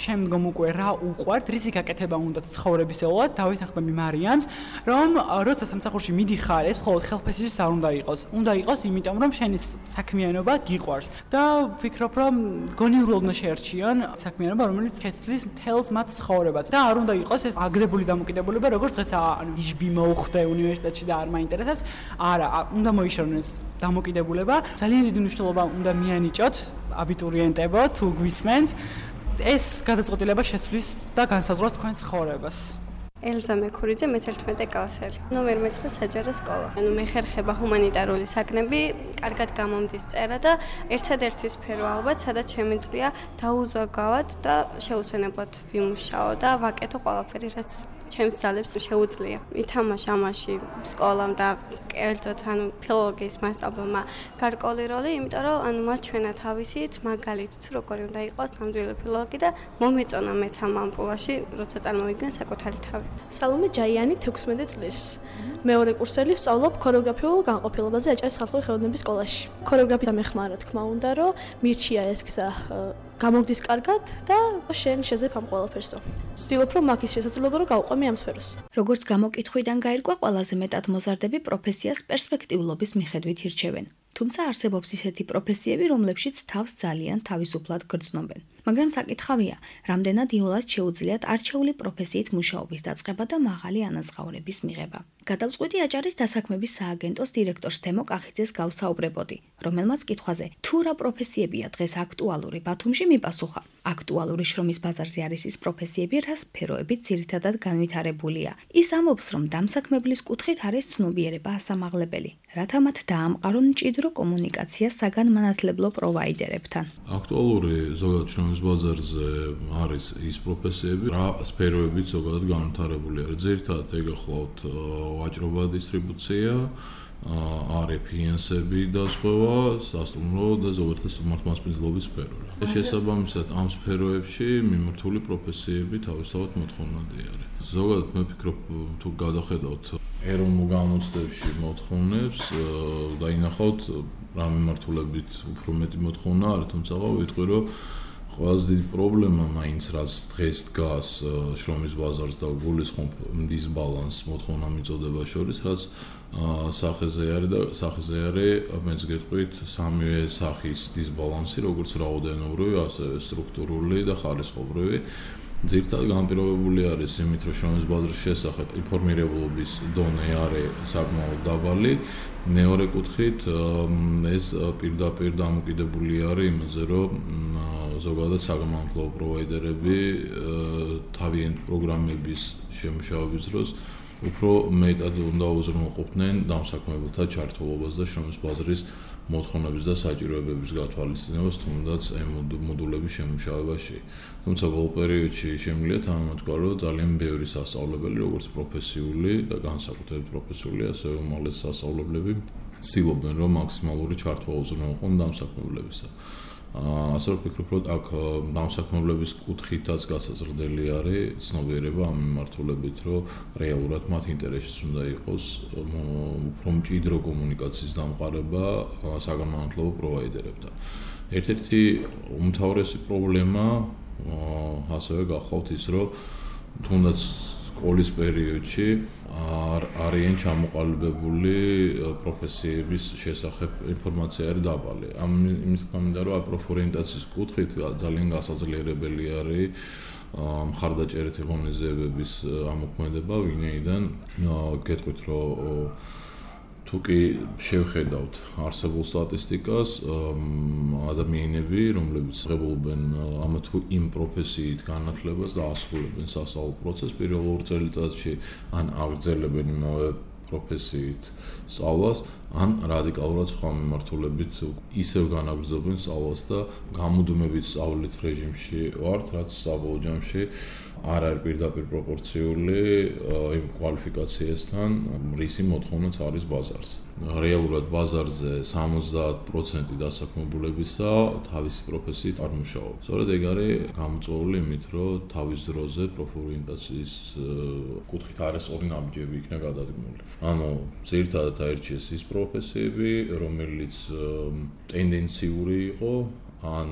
შემდგომ უკვე რა უყვართ, რისი გაკეთება უნდათ ცხოვრებისეულად, დავითანხმები მარიამს, რომ როცა სამსახურში მიდიხარ, ეს მხოლოდ ხელფასისთვის არ უნდა იყოს. უნდა იყოს, იმიტომ რომ შენი საქმიანობა გიყვარს. და ვფიქრობ, რომ გონივრულად უნდა შეერჩიონ საქმიანობა, რომელიც შეცვლის მთელს მათ ცხოვრებას. და არ უნდა იყოს ეს აგრებული დამოკიდებულება, როგორც დღეს ანუ იჟბი მოუხდე უნივერსიტეტში და არ მაინტერესებს. არა, უნდა მოიშორონ ეს დამოკიდებულება. ძალიან დიდი მნიშვნელობა უნდა მიანიჭოთ აბიტურიენტებო, თუ გვისმენთ. ეს გადაწყვეტილება შეცვლის და განსაზღვროს თქვენს ცხოვრებას. ელზა მექურიძე, მეთერთმეტე კლასელი. ნომერ მეცხრე საჯარო სკოლა. ანუ მე ხერხება ჰუმანიტარული საქმეები, კარგად გამომდის წერა და ერთადერთი სფერო ალბათ, სადაც შემიძლია დაუზოგავად და შეუსვენებლად ვიმუშაო და ვაკეთო ყველაფერი, რაც ჩემს ძალებს შეუძლია. ითამაშა ამაში სკოლამ და კერძოდ ანუ ფილოლოგიის მასწავლებელმა გარკვეული როლი, იმიტომ რომ ანუ მათ ჩვენა თავისით მაგალითად თუ როგორი უნდა იყოს ნამდვილი ფილოლოგი და მომეწონა მეც ამ ამპულაში, როცა წარმოვიდგენ საკუთარი თავი. სალომე ჯაიანი თექვსმეტი წლის. მეორე კურსელი ვსწავლობ ქორეოგრაფიულ განყოფილებაზე აჭარის ხალხური ხელოვნების სკოლაში. ქორეოგრაფია მეხმარა თქმა უნდა, რომ მირჩია ეს გზა გამოგდის კარგად და შენ შეძებ ამ ყველაფერსო. ვცდილობ რომ მაგის შესაძლებლობა რომ გავყვემი ამ სფეროს. როგორც გამოკითხვიდან გაირკვა, ყველაზე მეტად მოზარდები პროფესიას პერსპექტიულობის მიხედვით ირჩევენ. თუმცა არსებობს ისეთი პროფესიები, რომლებშიც თავს ძალიან თავისუფლად გრძნობენ. მაგრამ საკითხავია, რამდენად იოლად შეუძლიათ არჩეული პროფესიით მუშაობის დაწყება და მაღალი ანაზღაურების მიღება. გადავწყვიტი აჭარის დასაქმების სააგენტოს დირექტორს თემო კახიძეს გავსაუბრებოდი, რომელმაც კითხვაზე, თუ რა პროფესიებია დღეს აქტუალური ბათუმში, მიპასუხა. აქტუალური შრომის ბაზარზე არის ის პროფესიები, რა სფეროებით ძირითადად განვითარებულია. ის ამბობს, რომ დამსაქმებლის კუთხით არის ცნობიერება ასამაღლებელი, რათა მათ დაამყარონ მჭიდრო კომუნიკაცია საგანმანათლებლო პროვაიდერებთან. აქტუალური ზოგადად შრომის ბაზარზე არის ის პროფესიები, რა სფეროებით ზოგადად განვითარებული არის. ძირითადად ეკახლავთ ვაჭრობა, დისტრიბუცია, არის ფინანსები და სხვა, სასტუმრო და ზოგადად სტუმართმასპინძლობის სფერო. შესაბამისად ამ სფეროებში მიმართული პროფესიები თავისთავად მოთხოვნადი არის. ზოგადად მე ვფიქრობ, თუ გადახედავთ ეროვნულ გამოცდებში მოთხოვნებს და ინახავთ რა მიმართულებით უფრო მეტი მოთხოვნა არის, თუმცა ვიტყვი რომ ყველაზე დიდი პრობლემა მაინც რაც დღეს დგას შრომის ბაზარს და გულისხმობ დისბალანსს მოთხოვნა მიწოდება შორის, რაც სახეზე არის და სახეზე არის, მეც გეტყვით, სამივე სახის დისბალანსი, როგორც რაოდენობრივი, ასევე სტრუქტურული და ხარისხობრივი. ძირითადად განპირობებული არის იმით, რომ შრომის ბაზრის შესახებ ინფორმირებულობის დონე არის საკმაოდ დაბალი. მეორე კუთხით ეს პირდაპირ დამოკიდებული არის იმაზე, რომ ზოგადად საგანმანათლებლო პროვაიდერები თავიანთ პროგრამების შემუშავების დროს უფრო მეტად უნდა უზრუნველყოფდნენ დამსაქმებელთა ჩართულობას და შრომის ბაზრის მოთხოვნების და საჭიროებების გათვალისწინებას, თუნდაც ამ მოდულების შემუშავებაში. თუმცა ბოლო პერიოდში შემიძლია თანამედროვე რომ ძალიან ბევრი სასწავლებელი, როგორც პროფესიული და განსაკუთრებით პროფესიული, ასევე უმაღლესი სასწავლებლები ცდილობენ, რომ მაქსიმალური ჩართვა უზრუნველყონ დამსაქმებლებისა. ასე რომ ვფიქრობ, რომ აქ დამსაქმებლების კუთხითაც გასაზრდელი არის ცნობიერება ამ მიმართულებით, რომ რეალურად მათ ინტერესშიც უნდა იყოს უფრო მჭიდრო კომუნიკაციის დამყარება საგანმანათლებლო პროვაიდერებთან. ერთ-ერთი უმთავრესი პრობლემა ასევე გახლავთ ის, რომ თუნდაც სკოლის პერიოდში არიან ჩამოყალიბებული პროფესიების შესახებ ინფორმაცია არის დაბალი. ამ იმის გამო რომ პროფორიენტაციის კუთხით ძალიან გასაძლიერებელი არის მხარდაჭერითი ღონისძიებების ამოქმედება, ვინაიდან გეტყვით, რომ თუ კი შევხედავთ არსებულ სტატისტიკას, ადამიანები, რომლებიც ღებულობენ ამა თუ იმ პროფესიით განათლებას და ასრულებენ სასწავლო პროცესს, პირველ ორ წელიწადში ან აგრძელებენ იმავე პროფესიით სწავლას, ან რადიკალურად სხვა მიმართულებით ისევ განაგრძობენ სწავლას და გამუდმებით სწავლით რეჟიმში ვართ, რაც საბოლოო ჯამში არ არის პირდაპირ პროპორციული იმ კვალიფიკაციასთან, რისი მოთხოვნაც არის ბაზარზე. რეალურად ბაზარზე სამოცდაათ პროცენტი დასაქმებულებისა თავისი პროფესიით არ მუშაობს. სწორედ ეგ არის გამოწვეული იმით, რომ თავის დროზე პროფორიენტაციის კუთხით არასწორი ნაბიჯები იქნა გადადგმული. ანუ ძირითადად აირჩიეს ის პროფესიები, რომელიც ტენდენციური იყო, ან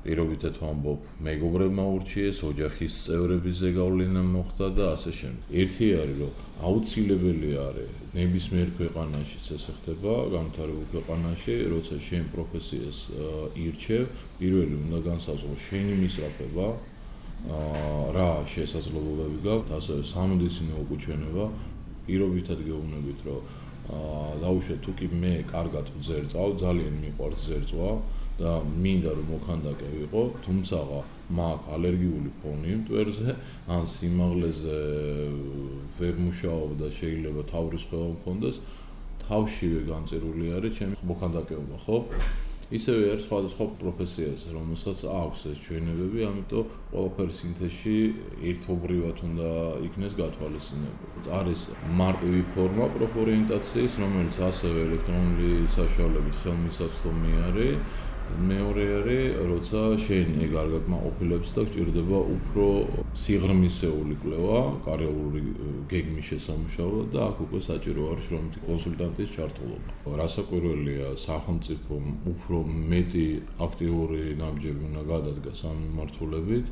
პირობითად ვამბობ, მეგობრებმა ურჩიეს, ოჯახის წევრების ზეგავლენა მოხდა და ასე შემდეგ. ერთი არის, რომ აუცილებელი არის ნებისმიერ ქვეყანაშიც ესე ხდება, განვითარებულ ქვეყანაში, როცა შენ პროფესიას ირჩევ, პირველი უნდა განსაზღვრო შენი მისწრაფება, რა შესაძლებლობები გაქვს, ასევე სამედიცინო უკუჩვენება, პირობითად გეუბნებით, რომ დაუშვათ თუ კი მე კარგად ვძერწავ, ძალიან მიყვარს ძერწვა და მინდა რომ მოქანდაკე ვიყო, თუმცა მაქვს ალერგიული ფონი მტვერზე, ან სიმაღლეზე ვერ მუშაობ და შეიძლება თავის ყველა მქონდეს, თავშივე განწერული არის ჩემი მოქანდაკეობა, ხო? ისევე არის სხვადასხვა პროფესიას, რომელსაც აქვს ეს ჩვენებები, ამიტომ ყველაფერი სინთეზში ერთობრივად უნდა იქნეს გათვალისწინებული. არის მარტივი ფორმა პროფორიენტაციის, რომელიც ასევე ელექტრონული საშუალებით ხელმისაწვდომი არის. მეორე არის, როცა შენ ეგ არ გაკმაყოფილებს და გჭირდება უფრო სიღრმისეული კვლევა, კარიერული გეგმის შესამუშავებლად და აქ უკვე საჭირო არის შრომითი კონსულტანტის ჩართულობა. რასაკვირველია, სახელმწიფომ უფრო მეტი აქტიური ნაბიჯები უნდა გადადგას ამ მიმართულებით,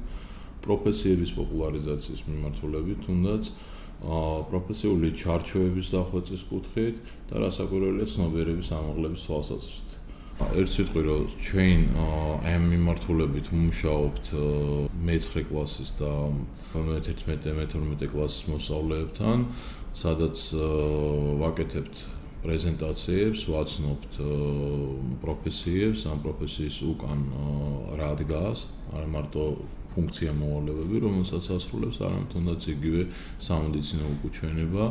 პროფესიების პოპულარიზაციის მიმართულებით, თუნდაც პროფესიული ჩარჩოების დახვეწის კუთხით და რასაკვირველია ცნობიერების ამაღლების თვალსაზრისით. ერთ სიტყვით რომ ჩვენ ამ მიმართულებით ვმუშაობთ მეცხრე კლასის და მეთერთმეტე მეთორმეტე კლასის მოსწავლეებთან, სადაც ვაკეთებთ პრეზენტაციებს, ვაცნობთ პროფესიებს, ამ პროფესიის უკან რა დგას, არა მარტო ფუნქცია მოვალეობები, რომელსაც ასრულებს, არამედ თუნდაც იგივე სამედიცინო უკუჩვენება,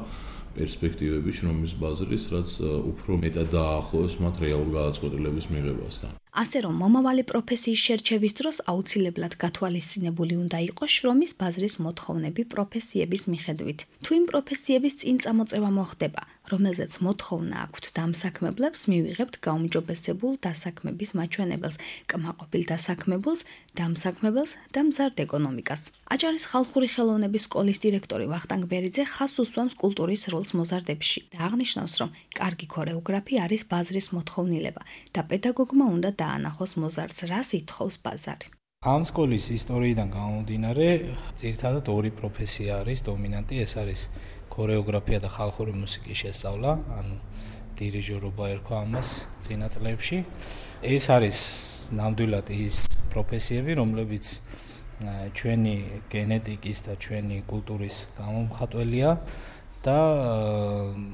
პერსპექტივები შრომის ბაზრის, რაც უფრო მეტად დაახლოებს მათ რეალურ გადაწყვეტილების მიღებასთან. ასე რომ მომავალი პროფესიის შერჩევის დროს აუცილებლად გათვალისწინებული უნდა იყოს შრომის ბაზრის მოთხოვნები პროფესიების მიხედვით. თუ იმ პროფესიების წინ წამოწევა მოხდება, რომელზეც მოთხოვნა აქვთ დამსაქმებლებს, მივიღებთ გაუმჯობესებულ დასაქმების მაჩვენებელს, კმაყოფილ დასაქმებულს, დამსაქმებელს და მზარდ ეკონომიკას. აჭარის ხალხური ხელოვნების სკოლის დირექტორი ვახტანგ ბერიძე ხაზს უსვამს კულტურის როლს მოზარდებში და აღნიშნავს, რომ კარგი ქორეოგრაფი არის ბაზრის მოთხოვნილება და პედაგოგმა უნდა დაანახოს მოზარდს, რას ითხოვს ბაზარი. ამ სკოლის ისტორიიდან გამომდინარე, ძირითადად ორი პროფესია არის დომინანტი, ეს არის ქორეოგრაფია და ხალხური მუსიკის შესწავლა, ანუ დირიჟორობა ერქვა ამას წინა წლებში. ეს არის ნამდვილად ის პროფესიები, რომლებიც ჩვენი გენეტიკის და ჩვენი კულტურის გამომხატველია და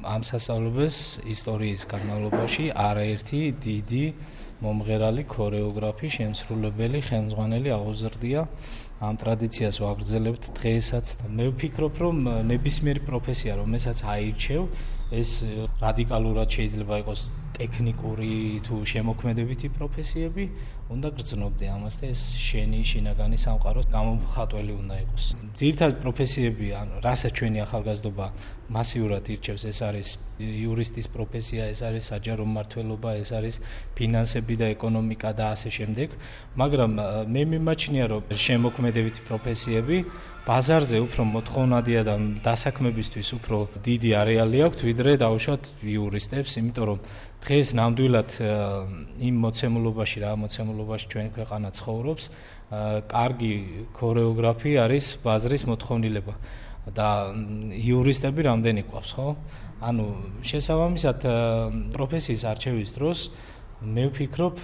ამ სასწავლებელს ისტორიის განმავლობაში არაერთი დიდი მომღერალი ქორეოგრაფი, შემსრულებელი, ხელმძღვანელი აღუზრდია. ამ ტრადიციას ვაგრძელებთ დღესაც. მე ვფიქრობ, რომ ნებისმიერი პროფესია, რომელსაც აირჩევ, ეს რადიკალურად შეიძლება იყოს ტექნიკური თუ შემოქმედებითი პროფესიები, უნდა გრძნობდე ამას და ეს შენი შინაგანი სამყაროს გამომხატველი უნდა იყოს. ძირითადი პროფესიები, ანუ რასაც ჩვენი ახალგაზრდობა მასიურად ირჩევს, ეს არის იურისტის პროფესია, ეს არის საჯარო მმართველობა, ეს არის ფინანსები და ეკონომიკა და ასე შემდეგ, მაგრამ მე მიმაჩნია, რომ შემოქმედებითი პროფესიები ბაზარზე უფრო მოთხოვნადია და დასაქმებისთვის უფრო დიდი არეალი აქვს, ვიდრე დაუშვათ იურისტებს, იმიტომ რომ დღეს ნამდვილად იმ მოცემულობაში, რა მოცემულობაში ჩვენი ქვეყანა ცხოვრობს, კარგი ქორეოგრაფი არის ბაზრის მოთხოვნილება და იურისტები რამდენი გვყავს, ხო? ანუ შესაბამისად პროფესიის არჩევის დროს მე ვფიქრობ,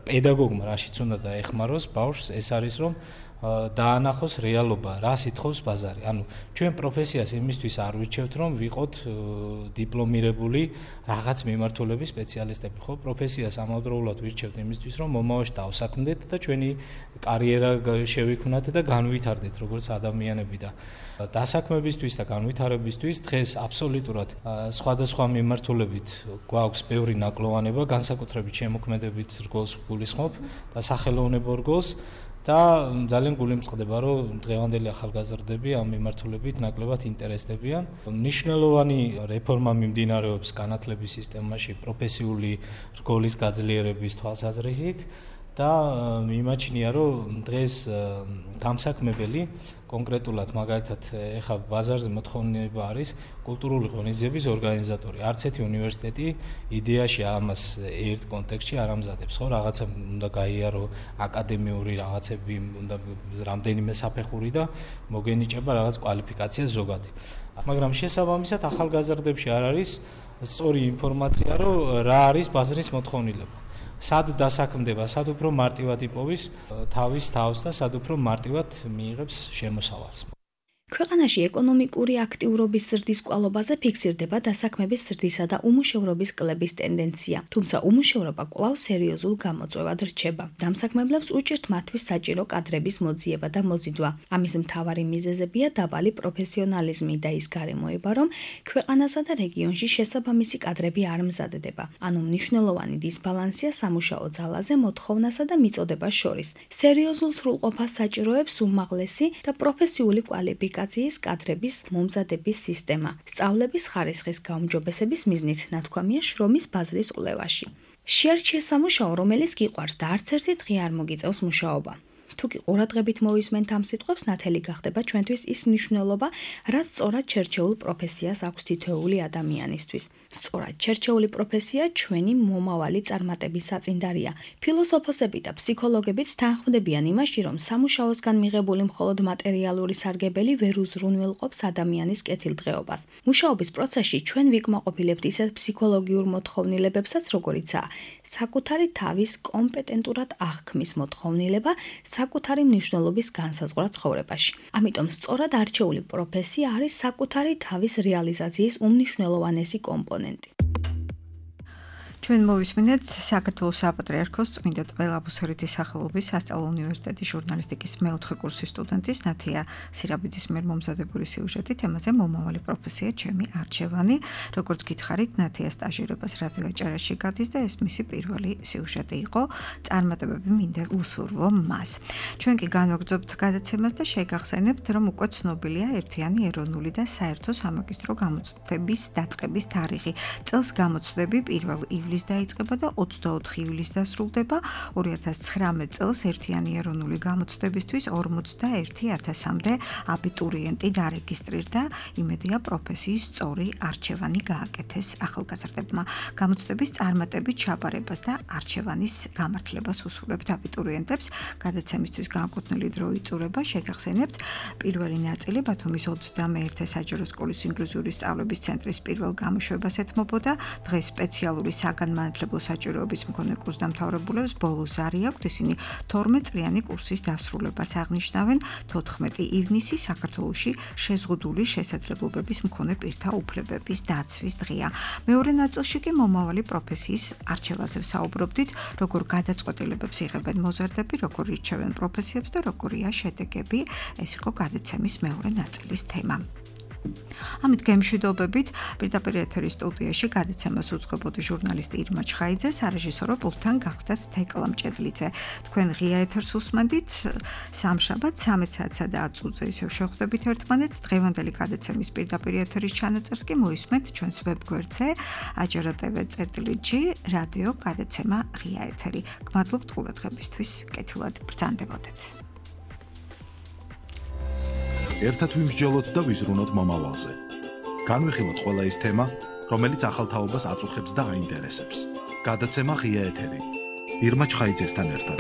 პედაგოგმა რაშიც უნდა დაეხმაროს ბავშვს, ეს არის რომ დაანახოს რეალობა, რას ითხოვს ბაზარი. ანუ ჩვენ პროფესიას იმისთვის არ ვირჩევთ, რომ ვიყოთ დიპლომირებული რაღაც მიმართულების სპეციალისტები, ხო? პროფესიას ამავდროულად ვირჩევთ იმისთვის, რომ მომავალში დავსაქმდეთ და ჩვენი კარიერა შევიქმნათ და განვითარდეთ როგორც ადამიანები და დასაქმებისთვის და განვითარებისთვის დღეს აბსოლუტურად სხვადასხვა მიმართულებით გვაქვს ბევრი ნაკლოვანება, განსაკუთრებით შემოქმედებით რგოლს გულისხმობ და სახელოვნებო რგოლს. და ძალიან გულიმწყდება, რომ დღევანდელი ახალგაზრდები ამ მიმართულებით ნაკლებად ინტერესდებიან. მნიშვნელოვანი რეფორმა მიმდინარეობს განათლების სისტემაში პროფესიული რგოლის გაძლიერების თვალსაზრისით და მიმაჩნია, რომ დღეს დამსაქმებელი კონკრეტულად მაგალითად ეხა ბაზარზე მოთხოვნილება არის კულტურული ღონისძიების ორგანიზატორი. არც ერთი უნივერსიტეტი იდეაში ამას ერთ კონტექსტში არ ამზადებს, ხო? რაღაცა უნდა გაიარო აკადემიური რაღაცები, უნდა რამდენიმე საფეხური და მოგენიჭება რაღაც კვალიფიკაცია ზოგადი. მაგრამ შესაბამისად ახალგაზრდებში არ არის სწორი ინფორმაცია, რომ რა არის ბაზრის მოთხოვნილება. სად დასაქმდება, სად უფრო მარტივად იპოვის თავის თავს და სად უფრო მარტივად მიიღებს შემოსავალს. ქვეყანაში ეკონომიკური აქტიურობის ზრდის კვალობაზე ფიქსირდება დასაქმების ზრდისა და უმუშევრობის კლების ტენდენცია, თუმცა უმუშევრობა კვლავ სერიოზულ გამოწვევად რჩება. დამსაქმებლებს უჭირთ მათთვის საჭირო კადრების მოძიება და მოზიდვა. ამის მთავარი მიზეზებია დაბალი პროფესიონალიზმი და ის გარემოება, რომ ქვეყანასა და რეგიონში შესაბამისი კადრები არ მზადდება. ანუ მნიშვნელოვანი დისბალანსია სამუშაო ძალაზე მოთხოვნასა და მიწოდებას შორის. სერიოზულ სრულყოფას საჭიროებს უმაღლესი და პროფესიული კვალიფიკაციის კადრების მომზადების სისტემა. სწავლების ხარისხის გაუმჯობესების მიზნით ნათქვამია შრომის ბაზრის კვლევაში. შეარჩიეს სამუშაო, რომელიც გიყვარს და არც ერთი დღე არ მოგიწევს მუშაობა. თუ კი ყურადღებით მოვისმენთ ამ სიტყვებს, ნათელი გახდება ჩვენთვის ის მნიშვნელობა, რაც სწორად ჩერჩეულ პროფესიას აქვს თითოეული ადამიანისთვის. სწორად ჩერჩეული პროფესია ჩვენი მომავალი წარმატების საწინდარია. ფილოსოფოსები და ფსიქოლოგებიც თანხმდებიან იმაში, რომ სამუშაოსგან მიღებული მხოლოდ მატერიალური სარგებელი ვერ უზრუნველყოფს ადამიანის კეთილდღეობას. მუშაობის პროცესში ჩვენ ვიკმაყოფილებთ ისეთ ფსიქოლოგიურ მოთხოვნილებებსაც, როგორიცაა საკუთარი თავის კომპეტენტურად აღქმის მოთხოვნილება, საკუთარი მნიშვნელობის განსაზღვრა ცხოვრებაში. ამიტომ სწორად არჩეული პროფესია არის საკუთარი თავის რეალიზაციის უმნიშვნელოვანესი კომპონენტი. ჩვენ მოვისმინეთ საქართველოს საპატრიარქოს წმინდა ტყე-ლაბუსერეთის სახელობის სასწავლო უნივერსიტეტის ჟურნალისტიკის მეოთხე კურსის სტუდენტის ნათია სირაბიძის მიერ მომზადებული სიუჟეტი თემაზე მომავალი პროფესია ჩემი არჩევანი. როგორც გითხარით, ნათია სტაჟირებას რადიო აჭარაში გადის და ეს მისი პირველი სიუჟეტი იყო. წარმატებები მინდა უსურვო მას. ჩვენ კი განვაგრძობთ გადაცემას და შეგახსენებთ, რომ უკვე ცნობილია ერთიანი ეროვნული და საერთო სამაგისტრო გამოცდების დაწყების თარიღი. წელს გამოცდები პირველ ივლის დაიწყება და ოცდაოთხი ივლისს დასრულდება. ორი ათას ცხრამეტ წელს ერთიანი ეროვნული გამოცდებისთვის ორმოცდაერთი ათასამდე აბიტურიენტი დარეგისტრირდა. იმედია პროფესიის სწორი არჩევანი გააკეთეს ახალგაზრდებმა. გამოცდების წარმატებით ჩაბარებას და არჩევანის გამართლებას უსურვებთ აბიტურიენტებს. გადაცემისთვის განკუთვნილი დრო იწურება. შეგახსენებთ, პირველი ნაწილი ბათუმის ოცდამეერთე საჯარო სკოლის ინკლუზიური სწავლების ცენტრის პირველ გამოშვებას ეთმობოდა. დღეს სპეციალური საგანმანათლებლო საჭიროების მქონე კურსდამთავრებულებს ბოლო ზარი აქვთ. ისინი თორმეტ წლიანი კურსის დასრულებას აღნიშნავენ. თოთხმეტი ივნისი საქართველოში შეზღუდული შესაძლებლობების მქონე პირთა უფლებების დაცვის დღეა. მეორე ნაწილში კი მომავალი პროფესიის არჩევაზე ვსაუბრობდით, როგორ გადაწყვეტილებებს იღებენ მოზარდები, როგორ ირჩევენ პროფესიებს და როგორია შედეგები. ეს იყო გადაცემის მეორე ნაწილის თემა. ამით გემშვიდობებით პირდაპირ ეთერის სტუდიაში გადაცემას უძღვებოდი ჟურნალისტი ირმა ჩხაიძე, სარეჟისორო პულტთან გახდათ თეკლა მჭედლიძე. თქვენ ღია ეთერს უსმენდით სამშაბათ ცამეტ საათსა და ათ წუთზე ისევ შევხვდებით ერთმანეთს. დღევანდელი გადაცემის პირდაპირ ეთერის ჩანაწერს კი მოისმენთ ჩვენს ვებგვერდზე აჭარა ტევ წერტილი ჯი რადიო გადაცემა ღია ეთერი. გმადლობთ ყურადღებისთვის, კეთილად ბრძანდებოდეთ. ერთად ვიმსჯელოთ და ვიზრუნოთ მომავალზე. განვიხილოთ ყველა ის თემა, რომელიც ახალ თაობას აწუხებს და აინტერესებს. გადაცემა ღია ეთერი. ირმა ჩხაიძესთან ერთად.